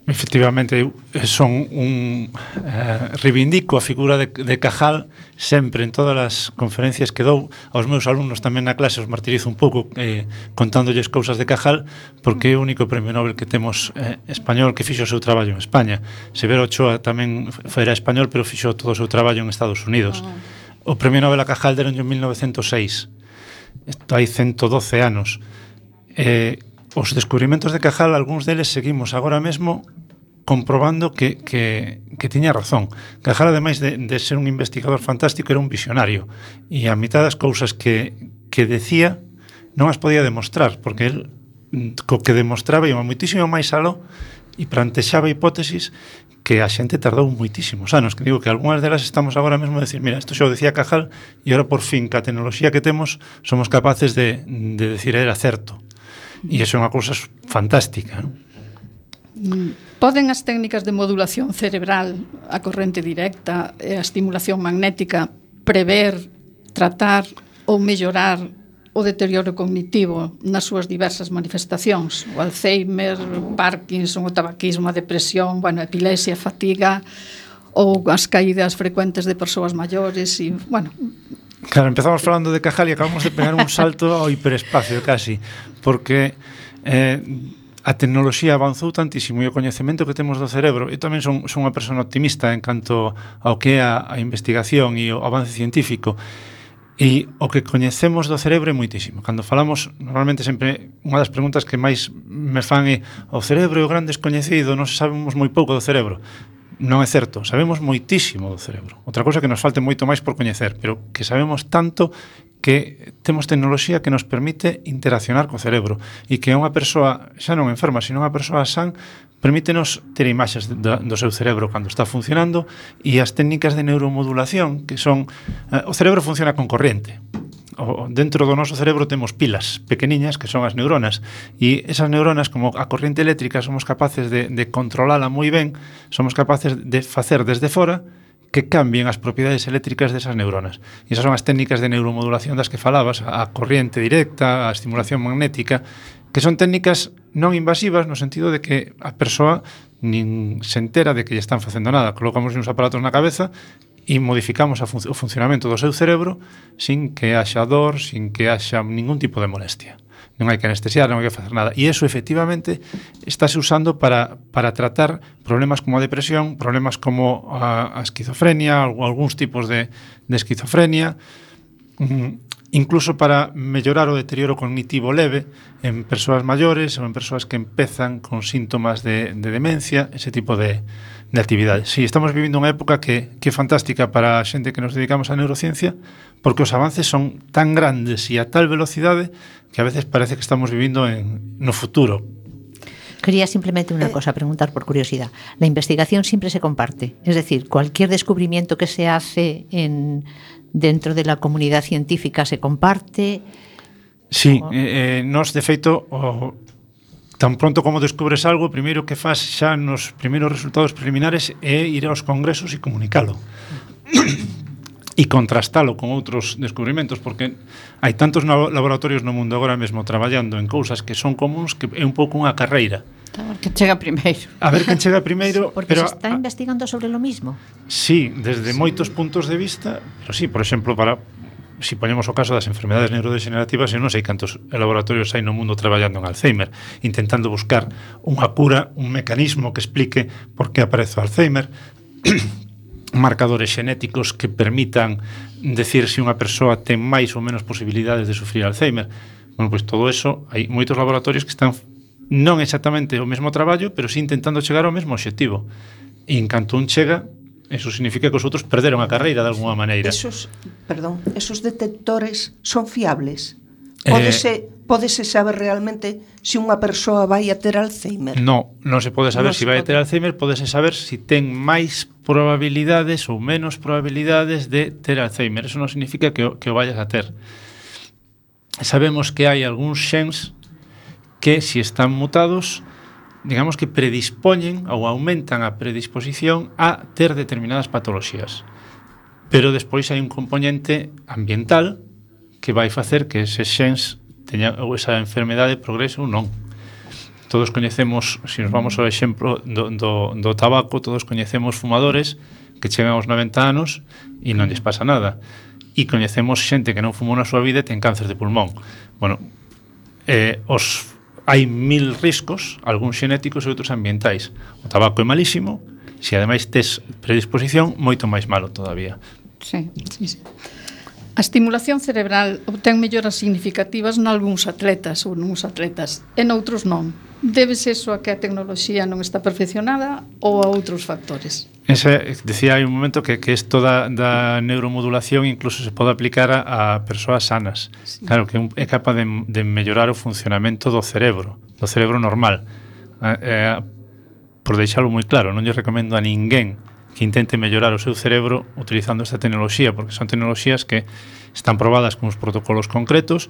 Efectivamente, eu son un eh, reivindico a figura de, de Cajal sempre en todas as conferencias que dou aos meus alumnos, tamén na clase os martirizo un pouco eh, contándolles cousas de Cajal, porque é o único premio Nobel que temos eh, español que fixo o seu traballo en España. Severo Ochoa tamén era español, pero fixo todo o seu traballo en Estados Unidos. O premio Nobel a Cajal deron en mil novecientos seis. Isto hai ciento doce anos. Eh, os descubrimentos de Cajal, algúns deles seguimos agora mesmo comprobando que, que, que tiña razón. Cajal, ademais de, de ser un investigador fantástico, era un visionario, e a mitad das cousas que, que decía non as podía demostrar, porque el co que demostraba iba moitísimo máis aló e plantexaba hipótesis que a xente tardou moitísimos anos, que digo que algunhas delas estamos agora mesmo a decir, mira, isto xa o decía Cajal, e agora por fin, ca tecnoloxía que temos, somos capaces de, de decir era certo. E iso é unha cousa fantástica, non? Poden as técnicas de modulación cerebral, a corrente directa e a estimulación magnética prever, tratar ou mellorar o deterioro cognitivo nas súas diversas manifestacións? O Alzheimer, Parkinson, o tabaquismo, a depresión, bueno, a epilepsia, a fatiga ou as caídas frecuentes de persoas maiores e, bueno... Claro, empezamos falando de Cajal e acabamos de pegar un salto ao hiperespacio casi, porque eh, a tecnoloxía avanzou tantísimo e o coñecemento que temos do cerebro. Eu tamén son, son unha persona optimista en canto ao que é a, a investigación e o avance científico. E o que coñecemos do cerebro é moitísimo. Cando falamos, normalmente sempre unha das preguntas que máis me fan é: o cerebro é o gran descoñecido, non sabemos moi pouco do cerebro. Non é certo, sabemos moitísimo do cerebro. Outra cousa que nos falte moito máis por coñecer, pero que sabemos tanto que temos tecnoloxía que nos permite interaccionar co cerebro e que unha persoa, xa non enferma, sino unha persoa san, permítenos ter imaxes do, do seu cerebro cando está funcionando, e as técnicas de neuromodulación, que son... Eh, o cerebro funciona con corriente. O, dentro do noso cerebro temos pilas pequeniñas que son as neuronas, e esas neuronas, como a corriente eléctrica, somos capaces de, de controlala moi ben, somos capaces de facer desde fora que cambien as propiedades eléctricas desas neuronas. E esas son as técnicas de neuromodulación das que falabas, a corriente directa, a estimulación magnética, que son técnicas non invasivas no sentido de que a persoa nin se entera de que lle están facendo nada. Colocamos uns aparatos na cabeza e modificamos a fun- o funcionamento do seu cerebro sin que haxa dor, sin que haxa ningún tipo de molestia. Non hai que anestesiar, non hai que facer nada. E iso, efectivamente, estáse usando para, para tratar problemas como a depresión, problemas como a, a esquizofrenia, algúns tipos de, de esquizofrenia, mm, incluso para mellorar o deterioro cognitivo leve en persoas maiores ou en persoas que empezan con síntomas de, de demencia, ese tipo de, de actividades. Sí, estamos vivindo unha época que, que é fantástica para a xente que nos dedicamos á neurociencia, porque os avances son tan grandes e a tal velocidade que a veces parece que estamos vivindo en, no futuro. Quería simplemente una cosa, preguntar por curiosidad. La investigación siempre se comparte, es decir, cualquier descubrimiento que se hace en... dentro de la comunidad científica se comparte. Sí, o... eh, nos de feito o, tan pronto como descubres algo, primeiro que faz xa nos primeiros resultados preliminares é ir aos congresos e comunicalo e contrastalo con outros descubrimentos, porque hai tantos laboratorios no mundo agora mesmo traballando en cousas que son comuns que é un pouco unha carreira. A ver quen chega primeiro. A ver quen chega primeiro. Porque pero, se está investigando sobre lo mismo. Sí, desde sí. moitos puntos de vista, pero sí, por exemplo, para si ponemos o caso das enfermedades neurodegenerativas, eu non sei cantos laboratorios hai no mundo traballando en Alzheimer, intentando buscar unha cura, un mecanismo que explique por que aparece o Alzheimer, marcadores xenéticos que permitan decir se unha persoa ten máis ou menos posibilidades de sufrir Alzheimer. Bueno, pois todo eso, hai moitos laboratorios que están non exactamente o mesmo traballo, pero sí intentando chegar ao mesmo obxectivo. E en canto un chega, eso significa que os outros perderon a carreira de alguma maneira. Esos, perdón, esos detectores son fiables? Pódese, eh, pódese saber realmente se unha persoa vai a ter Alzheimer? No, non se pode saber no se vai a ter Alzheimer, pódese saber se ten máis probabilidades ou menos probabilidades de ter Alzheimer. Eso non significa que o, que o vayas a ter. Sabemos que hai algúns xens que, se están mutados, digamos que predispoñen ou aumentan a predisposición a ter determinadas patoloxías. Pero despois hai un componente ambiental que vai facer que eses xens teñan ou esa enfermedade progrese ou non. Todos coñecemos, se nos vamos ao exemplo do, do, do tabaco, todos coñecemos fumadores que chegan aos noventa anos e non lles pasa nada. E coñecemos xente que non fumou na súa vida e ten cáncer de pulmón. Bueno, eh, os hai mil riscos, algúns xenéticos e outros ambientais. O tabaco é malísimo, se ademais tes predisposición, moito máis malo todavía. Sí, sí, sí. A estimulación cerebral obtén melloras significativas nalgúns atletas ou nuns atletas e noutros non. Debes eso a que a tecnoloxía non está perfeccionada ou a outros factores? Ese, decía hai un momento que, que isto da, da neuromodulación incluso se pode aplicar a, a persoas sanas. Sí. Claro, que é capaz de, de mellorar o funcionamento do cerebro, do cerebro normal. Eh, eh, por deixalo moi claro, non lle recomendo a ninguén que intente mellorar o seu cerebro utilizando esta tecnoloxía, porque son tecnoloxías que están probadas con uns protocolos concretos,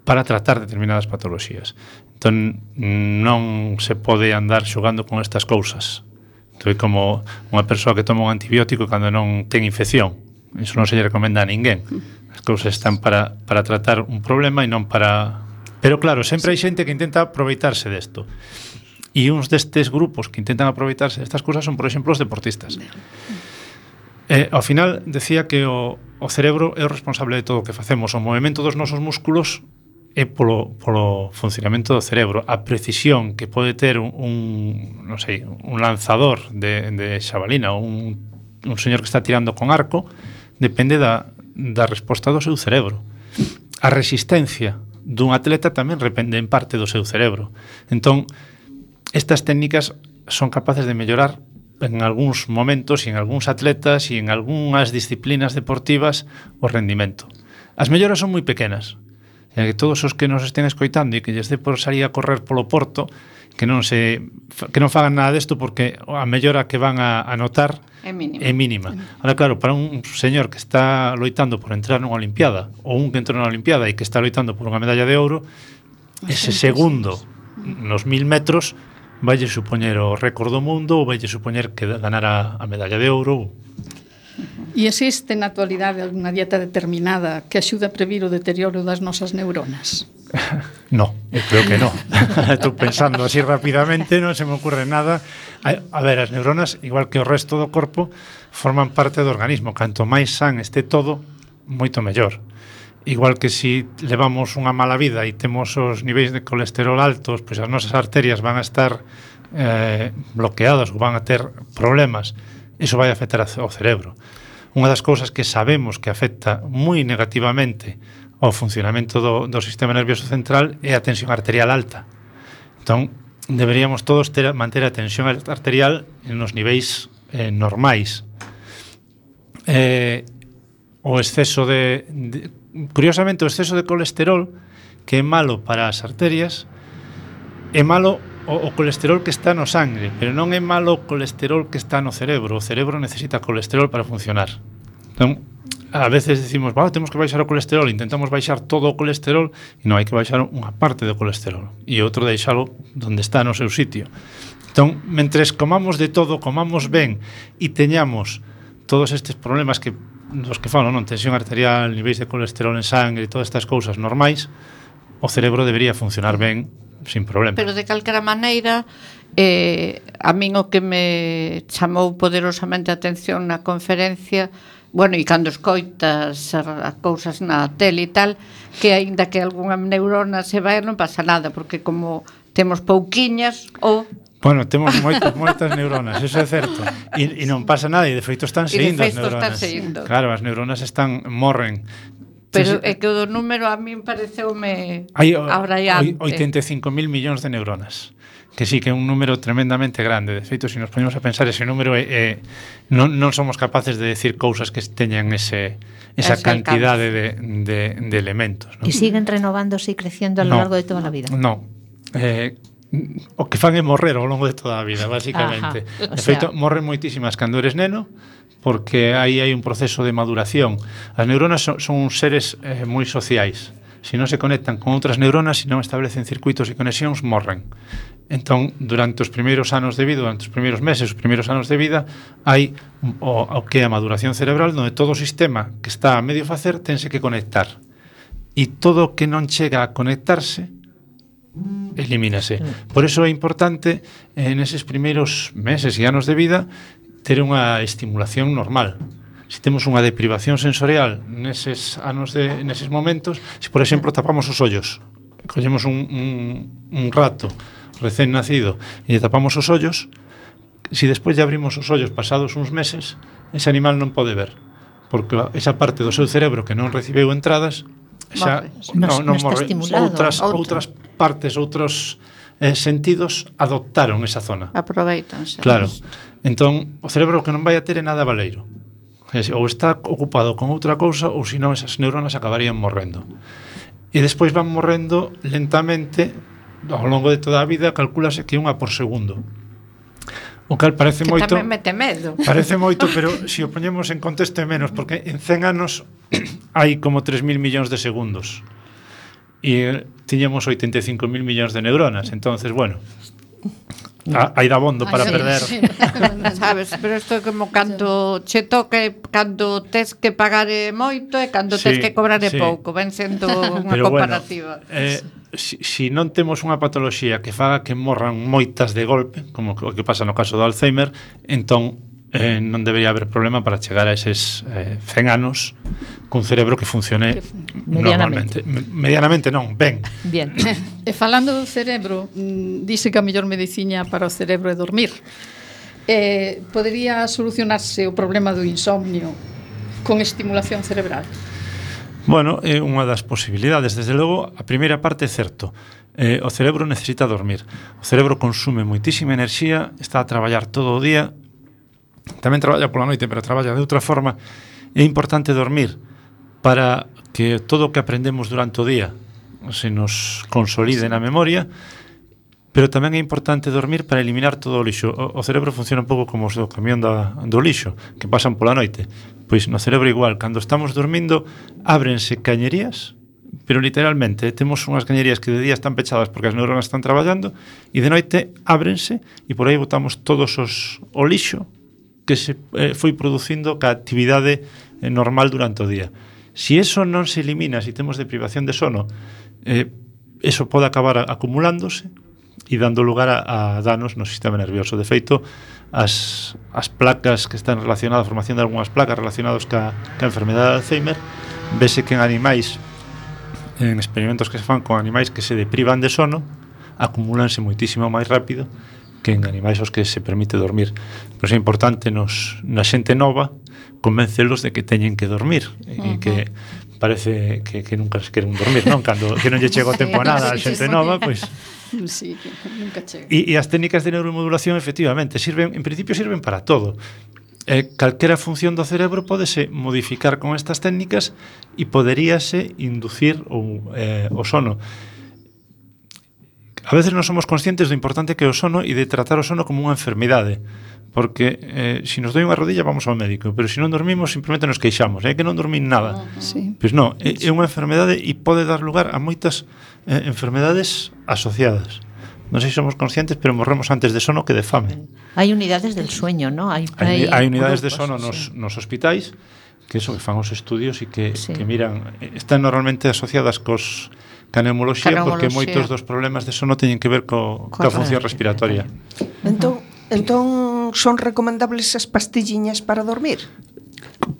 para tratar determinadas patoloxías. Entón, non se pode andar xogando con estas cousas. Entón, é como unha persoa que toma un antibiótico cando non ten infección. Iso non se lle recomenda a ninguén. As cousas están para, para tratar un problema e non para... Pero claro, sempre hai xente que intenta aproveitarse desto. E uns destes grupos que intentan aproveitarse destas cousas son, por exemplo, os deportistas. Eh, ao final, decía que o, o cerebro é o responsable de todo o que facemos. O movimento dos nosos músculos é polo, polo funcionamento do cerebro. A precisión que pode ter un, un non sei, un lanzador de, de xabalina ou un, un señor que está tirando con arco depende da, da resposta do seu cerebro. A resistencia dun atleta tamén depende en parte do seu cerebro. Entón, estas técnicas son capaces de mellorar en algúns momentos e en algúns atletas e en algúnas disciplinas deportivas o rendimento. As melloras son moi pequenas. E que todos os que nos estén escoitando e que lles dé por salir a correr polo Porto, que non se que non fagan nada desto porque a mellora que van a, a notar é mínima. É mínima. Ahora, claro, para un señor que está loitando por entrar nunha Olimpiada ou un que entrou nunha Olimpiada e que está loitando por unha medalla de ouro, ese segundo nos mil metros vaille supoñer o récord do mundo ou vaille supoñer que ganara a medalla de ouro. E existe na actualidade alguna dieta determinada que axuda a previr o deterioro das nosas neuronas? No, eu creo que no. Estou pensando así rapidamente, non se me ocurre nada. A, a ver, as neuronas, igual que o resto do corpo, forman parte do organismo. Canto máis san este todo, moito mellor. Igual que si levamos unha mala vida e temos os niveis de colesterol altos, pois as nosas arterias van a estar eh, bloqueadas ou van a ter problemas, iso vai afectar ao cerebro. Unha das cousas que sabemos que afecta moi negativamente ao funcionamento do, do sistema nervioso central é a tensión arterial alta. Entón, deberíamos todos ter, manter a tensión arterial nos niveis eh, normais. Eh, o exceso de, de Curiosamente, o exceso de colesterol, que é malo para as arterias, é malo o, o colesterol que está no sangre, pero non é malo o colesterol que está no cerebro. O cerebro necesita colesterol para funcionar. Entón, a veces decimos, bueno, temos que baixar o colesterol, intentamos baixar todo o colesterol, e non, hai que baixar unha parte do colesterol, e outro deixalo onde está no seu sitio. Entón, mentres comamos de todo, comamos ben, e teñamos todos estes problemas que dos que falo, non? Tensión arterial, niveis de colesterol en sangre e todas estas cousas normais, o cerebro debería funcionar ben, sin problema. Pero de calquera maneira, eh, a min o que me chamou poderosamente a atención na conferencia, bueno, e cando escoitas as cousas na tele e tal, que aínda que algunha neurona se vai non pasa nada, porque como temos pouquiñas ou Bueno, temos moitas, moitas neuronas, eso é certo. E, e non pasa nada, e de feito están seguindo as neuronas. Están claro, as neuronas están, morren. Pero é que o do número a min pareceume hai abraiante. oitenta e cinco mil millóns de neuronas. Que sí, que é un número tremendamente grande. De feito, se nos ponemos a pensar, ese número é, é, non, non somos capaces de decir cousas que teñan ese, esa ese cantidade de, de, de elementos, ¿no? E siguen renovándose e creciendo a lo no, largo de toda a vida. No, eh, o que fan é morrer ao longo de toda a vida, basicamente. Ajá, de feito, sea... morren moitísimas cando eres neno, porque aí hai un proceso de maduración. As neuronas son, son uns seres eh, moi sociais. Se non se conectan con outras neuronas, se non establecen circuitos e conexións, morren. Entón, durante os primeiros anos de vida, durante os primeiros meses, os primeiros anos de vida, hai o, o que é a maduración cerebral, onde todo o sistema que está a medio facer tense que conectar. E todo o que non chega a conectarse elimínase. Por eso é importante en eses primeiros meses e anos de vida ter unha estimulación normal. Se temos unha deprivación sensorial neses anos de neses momentos, se por exemplo tapamos os ollos, collemos un, un, un rato recén nacido e tapamos os ollos, se despois de abrimos os ollos pasados uns meses, ese animal non pode ver, porque esa parte do seu cerebro que non recibeu entradas xa non, non morre. Outras, outras partes, outros eh, sentidos adoptaron esa zona. Aproveitanse. Claro. Entón, o cerebro que non vai a ter é nada valeiro. Ou está ocupado con outra cousa, ou senón esas neuronas acabarían morrendo. E despois van morrendo lentamente ao longo de toda a vida, calculase que unha por segundo. O cal parece que moito. Tamén mete medo. Parece moito, pero se o poñemos en contexto é menos, porque en cen anos hai como tres mil millóns de segundos. e tiñamos oitenta e cinco mil millóns de neuronas. Entonces, bueno, a, hai dabondo para Ay, sí, perder. sí, sabes, pero isto é como cando che toque, cando tes que pagar moito e cando tes Sí, que cobrar sí. pouco, ven sendo unha Pero comparativa. Bueno, eh, si, si non temos unha patoloxía que faga que morran moitas de golpe, como o que pasa no caso do Alzheimer, entón eh, non debería haber problema para chegar a eses eh, cen anos cun cerebro que funcione Medianamente. normalmente. Me- Medianamente non, ben. Bien. E falando do cerebro, mm, dice que a mellor medicina para o cerebro é dormir. Eh, podería solucionarse o problema do insomnio con estimulación cerebral? Bueno, é unha das posibilidades. Desde logo, a primeira parte é certo. Eh, o cerebro necesita dormir. O cerebro consume moitísima enerxía, está a traballar todo o día, tamén traballa pola noite, pero traballa de outra forma. É importante dormir para que todo o que aprendemos durante o día se nos consolide na memoria, pero tamén é importante dormir para eliminar todo o lixo. O, o cerebro funciona un pouco como o camión da, do lixo, que pasan pola noite. Pois no cerebro igual, cando estamos dormindo, ábrense cañerías, pero literalmente temos unhas cañerías que de día están pechadas porque as neuronas están traballando, e de noite ábrense, e por aí botamos todos os o lixo que se eh, foi producindo ca actividade eh, normal durante o día. Si eso non se elimina, si temos deprivación de sono, eh, eso pode acabar a, acumulándose e dando lugar a, a danos no sistema nervioso. De feito, as, as placas que están relacionadas, a formación de algunhas placas relacionadas ca, ca enfermedade de Alzheimer, vese que en animais, en experimentos que se fan con animais que se deprivan de sono, acumúlanse moitísimo máis rápido que en animais aos que se permite dormir. Pois é importante nos, na xente nova convencelos de que teñen que dormir e uh-huh. que parece que, que nunca se queren dormir, non? Cando que non lle chega o tempo a nada a xente nova, pois sí, que nunca chega. E, e as técnicas de neuromodulación efectivamente sirven, en principio sirven para todo. Eh, calquera función do cerebro pódese modificar con estas técnicas e poderíase inducir o, eh, o sono. A veces non somos conscientes do importante que é o sono e de tratar o sono como unha enfermidade, porque eh, se si nos doi unha rodilla vamos ao médico, pero se si non dormimos simplemente nos queixamos, é que non dormín nada. Sí. Pois non, é, é unha enfermedade e pode dar lugar a moitas eh, enfermedades asociadas. Non sei se somos conscientes, pero morremos antes de sono que de fame. Hai unidades del sueño, ¿no? Hai, Hai, hai unidades de grupos, sono nos, sí. nos hospitais, que eso que fan os estudios e que, Sí. que miran, están normalmente asociadas cos ca neumoloxía, porque Neumoloxía. moitos dos problemas de sono teñen que ver co, coa función respiratoria. Entón, entón son recomendables as pastilliñas para dormir?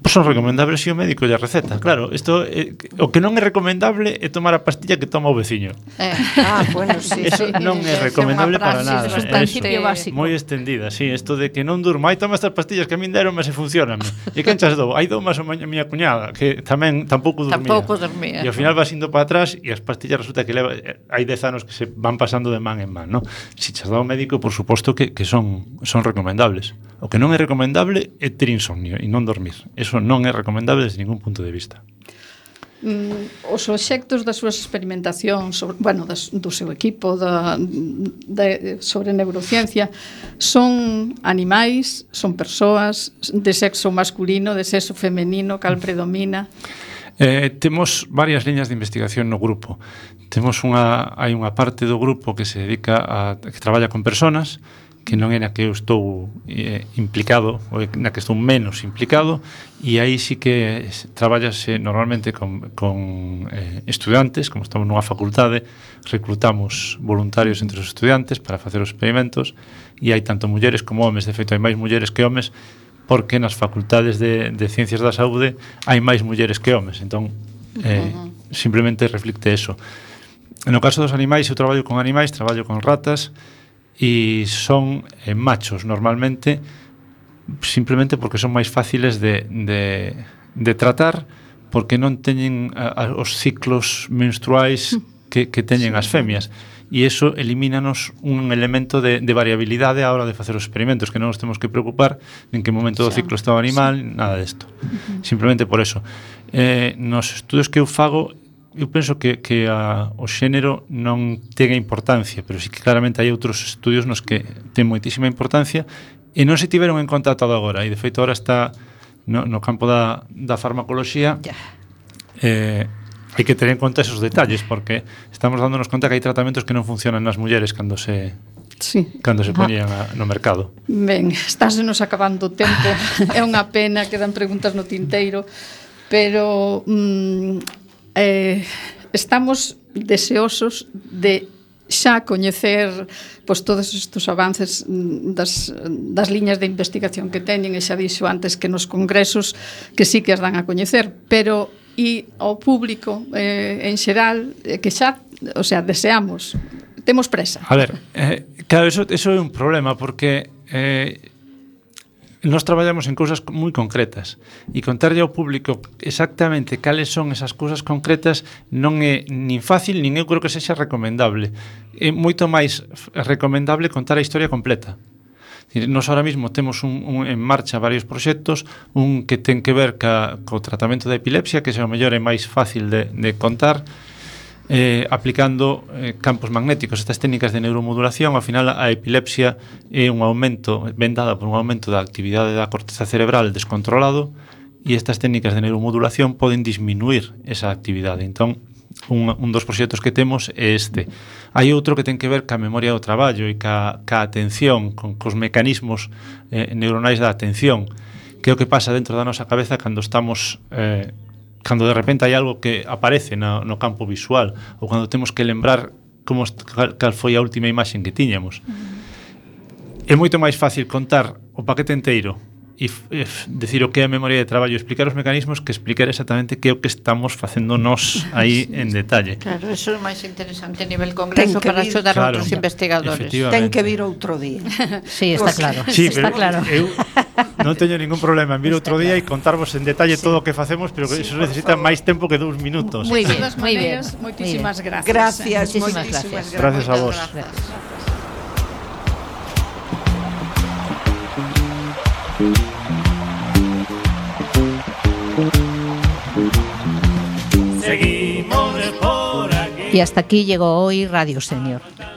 Son recomendables se o médico lle receta. Claro, isto eh, o que non é recomendable é tomar a pastilla que toma o veciño. Eh. Ah, bueno, sí. Eso non é recomendable para nada. é un principio básico. Moi extendida, sí, isto de que non durmo, ai, toma estas pastillas que a min deron, mas se funcionan. E quen chas dou? Ai, dou máis a miña cuñada, que tamén tampouco dormía. Tampouco dormía. E ao final vas indo para atrás e as pastillas resulta que leva, hai dez anos que se van pasando de man en man, ¿no? Si chas dou ao médico, por suposto que, que son, son recomendables. O que non é recomendable é ter insomnio e non dormir. Eso non é recomendable desde ningún punto de vista. Mm, os obxectos das súas experimentacións sobre, bueno, das, do seu equipo da, de, sobre neurociencia son animais, son persoas de sexo masculino, de sexo femenino, cal predomina? Eh, temos varias liñas de investigación no grupo. Temos unha, hai unha parte do grupo que se dedica a que traballa con personas, que non é na que eu estou eh, implicado, ou na que estou menos implicado, e aí sí que traballase normalmente con, con eh, estudantes, como estamos nunha facultade, reclutamos voluntarios entre os estudantes para facer os experimentos, e hai tanto mulleres como homes, de feito hai máis mulleres que homes, porque nas facultades de, de Ciencias da Saúde hai máis mulleres que homes, entón eh, uh-huh. simplemente reflicte eso. No caso dos animais, eu traballo con animais, traballo con ratas, e son eh, machos normalmente, simplemente porque son máis fáciles de, de, de tratar, porque non teñen a, a, os ciclos menstruais que, que teñen as femias, e iso elimínanos un elemento de, de variabilidade á hora de facer os experimentos, que non nos temos que preocupar en que momento do ciclo está o animal, nada desto. Uh-huh. Simplemente por eso. Eh, nos estudos que eu fago, eu penso que, que a, o xénero non ten importancia, pero sí que claramente hai outros estudios nos que ten moitísima importancia e non se tiveron en conta ata agora, e de feito agora está no, no campo da, da farmacoloxía, eh, hai que ter en conta esos detalles, porque estamos dándonos conta que hai tratamentos que non funcionan nas mulleres cando se sí. cando se poñían a, no mercado. Ben, estásenos acabando o tempo. É unha pena, quedan preguntas no tinteiro, pero mm, eh, estamos deseosos de xa coñecer pois, todos estes avances das, das liñas de investigación que teñen, e xa dixo antes que nos congresos que sí que as dan a coñecer, pero e ao público eh, en xeral eh, que xa, o sea, deseamos, temos presa. A ver, eh, claro, eso, eso é un problema, porque eh, nós traballamos en cousas moi concretas, e contarlle ao público exactamente cales son esas cousas concretas non é nin fácil, nin eu creo que sexa recomendable. É moito máis recomendable contar a historia completa. Nos ahora mismo temos un, un, en marcha varios proxectos, un que ten que ver ca, co tratamento da epilepsia, que se o mellor é máis fácil de, de contar, Eh, aplicando eh, campos magnéticos, estas técnicas de neuromodulación. Ao final a epilepsia é un aumento, ven dada por un aumento da actividade da corteza cerebral descontrolado, e estas técnicas de neuromodulación poden disminuir esa actividade. Entón, un, un dos proxectos que temos é este. Hai outro que ten que ver ca memoria do traballo e ca, ca atención, con cos mecanismos eh, neuronais da atención, que é o que pasa dentro da nosa cabeza cando estamos eh, cando de repente hai algo que aparece no, no campo visual, ou cando temos que lembrar como cal, cal foi a última imaxe que tiñamos. Uh-huh. É moito máis fácil contar o paquete enteiro e, e decir o que é a memoria de traballo, explicar os mecanismos, que explicar exactamente que é o que estamos facendo nós aí en detalle. Claro, eso é máis interesante a nivel congreso para axudar a outros investigadores. Ten que vir outro día. Sí, está claro. Sí, está pero claro. Eu non teño ningún problema en vir outro día e contarvos en detalle sí. todo o que facemos, pero que sí, eso necesita máis tempo que dous minutos. Muy bien, muy bien. Moitísimas gracias. Gracias, moitísimas gracias. Gracias a vos. Gracias. Y hasta aquí llegó hoy Radio Senior.